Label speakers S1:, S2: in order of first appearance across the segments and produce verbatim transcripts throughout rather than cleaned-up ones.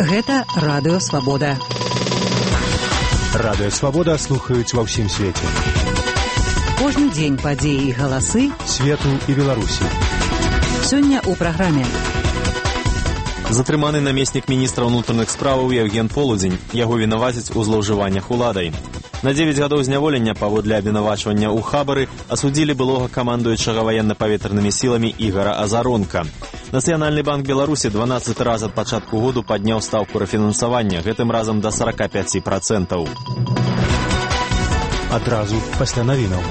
S1: Гэта Радыё Свабода.
S2: Радыё Свабода слухаюць ва ўсім свеце.
S1: Кожны дзень падзеі і галасы
S2: свету і Беларусі.
S1: Сёння ў праграме.
S3: Затрыманы намеснік міністра ўнутраных справаў Евген Полудзень. Яго вінавацяць у злоўжываннях уладай. На дзевяць гадоў зняволення паводле абвінавачвання ў хабары асудзілі былога камандуючага ваенна-паветранымі сіламі Ігара Азаронка. Нацыянальны банк Беларусі дванаццаты раз ад пачатку году падняў стаўку рэфінансавання, гэтым разам да сорок пять процентов.
S2: Адразу пасля навінаў.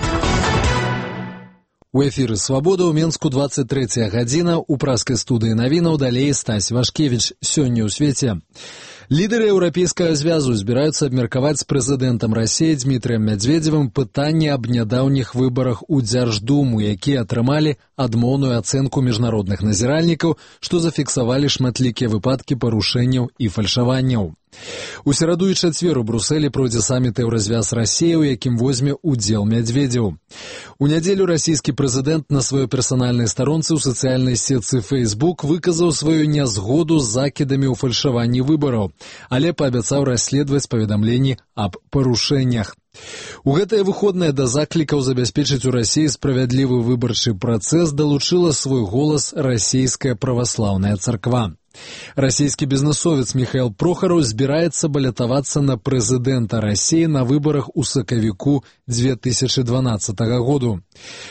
S4: У эфіры «Свабода» ў Менску двадцать третья гадзіна. У праскай студыі навінаў далей Стась Вашкевіч. Сёння ў свеце. Лідары Еўрапейскага звязу збіраюцца абмеркаваць з прэзідэнтам Расіі Дмітрыем Мядзведзевым пытанне аб нядаўніх выбарах у Дзярждуму, якія атрымалі адмоўную ацэнку міжнародных назіральнікаў, што зафіксавалі шматлікія выпадкі парушэнняў і фальшаванняў. У сераду і чацвер у Брусэлі пройдзе саміт Еўразвяз Расіі, у якім возьме удзел Мядзведзеў. У нядзелю расійскі прэзідэнт на сваёй персанальнай старонцы ў сацыяльнай сетцы Facebook выказаў сваю нязгоду з закідамі ў фальшаванні выбараў, але паабяцаў расследаваць паведамленні аб парушэннях. У гэтыя выходныя да заклікаў забяспечыць у Расіі справядлівы выбарчы працэс далучыла свой голас расійская праваслаўная царква. Расійскі бізнесовец Міхаіл Прохараў збіраецца балятавацца на прэзідэнта Расіі на выбарах у сакавіку две тысячи дванаццатага году.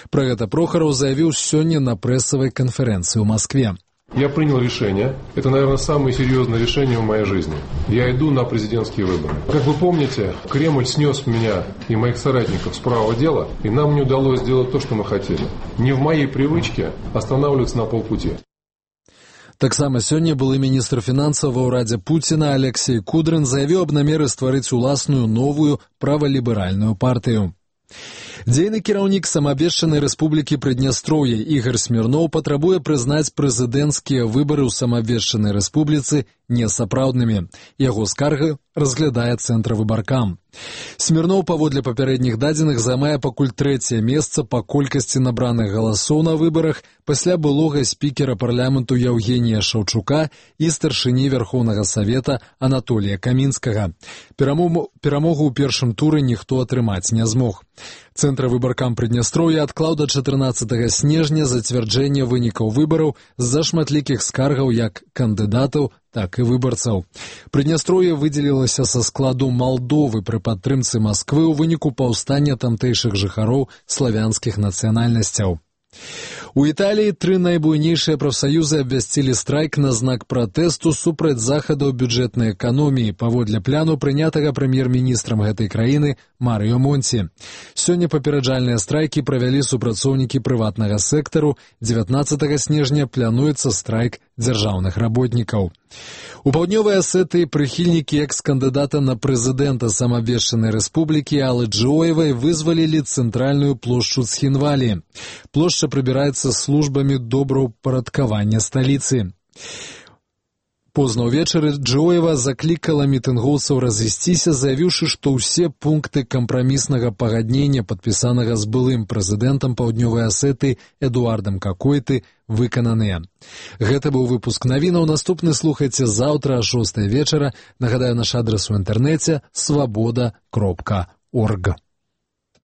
S4: Пра гэта Прохараў заявіў сёння на прэсавай канферэнцыі ў Москве.
S5: Я принял решение. Это, наверное, самое серьезное решение в моей жизни. Я иду на президентские выборы. Как вы помните, Кремль снес меня и моих соратников с правого дела, и нам не удалось сделать то, что мы хотели. Не в моей привычке останавливаться на полпути.
S4: Таксама сёння былы міністр фінансаў ва ўрадзе Пуціна Алексей Кудрин заявіў аб намеры стварыць уласную новую праваліберальную партыю. Дзейны кіраўнік самаабвешчанай рэспублікі Прыднястроўе Ігар Смірноў патрабуе прызнаць прэзідэнцкія выбары ў самаабвешчанай рэспубліцы несапраўднымі. Яго скарга разглядае цэнтр выбаркам. Смірноў паводле папярэдніх дадзеных займае пакуль трэцяе месца па колькасці набраных галасоў на выбарах пасля былога спікера парламенту Яўгенія Шаўчука і старшыні Верхоўнага Савета Анатолія Камінскага. Перамогу, перамогу ў першым туры ніхто атрымаць не змог. Цэнтр выбаркам Прыднястроўя адклаў да чатырнаццатага снежня зацвярджэнне вынікаў выбараў з-за шматлікіх скаргаў як кандыдатаў, так і выбарцаў. Прыднястроўе выдзелілася са складу Малдовы пры падтрымцы Масквы ў выніку паўстання тамтэйшых жыхароў славянскіх нацыянальнасцяў. У Італіі тры найбуйнейшыя прафсаюзы абвясцілі страйк на знак пратэсту супраць захадаў бюджэтнай эканоміі паводле пляну прынятага прэм'ер-міністрам гэтай краіны Марыё Монці. Сёння папераджальныя страйкі правялі супрацоўнікі прыватнага сектару. дзевятнаццатага снежня плануецца страйк дзяржаўных работнікаў. У паўднёвай Асетыі прыхільнікі экс-кандыдата на прэзідэнта самаабвешчанай рэспублікі Аллы Джоевай вызвалілі цэнтральную плошчу Цхінвалі. Плошча прыбіраецца службамі добраўпарадкавання сталіцы. Позна ўвечары Джоева заклікала мітынгоўцаў разысціся, заявіўшы, што ўсе пункты кампраміснага пагаднення, падпісанага з былым прэзідэнтам паўднёвай Асетыі Эдуардам Какойты, выкананыя. Гэта быў выпуск навінаў. Наступны слухайце заўтра а шостай вечара. Нагадаю, наш адрас у інтэрнэце свабода кропка орг.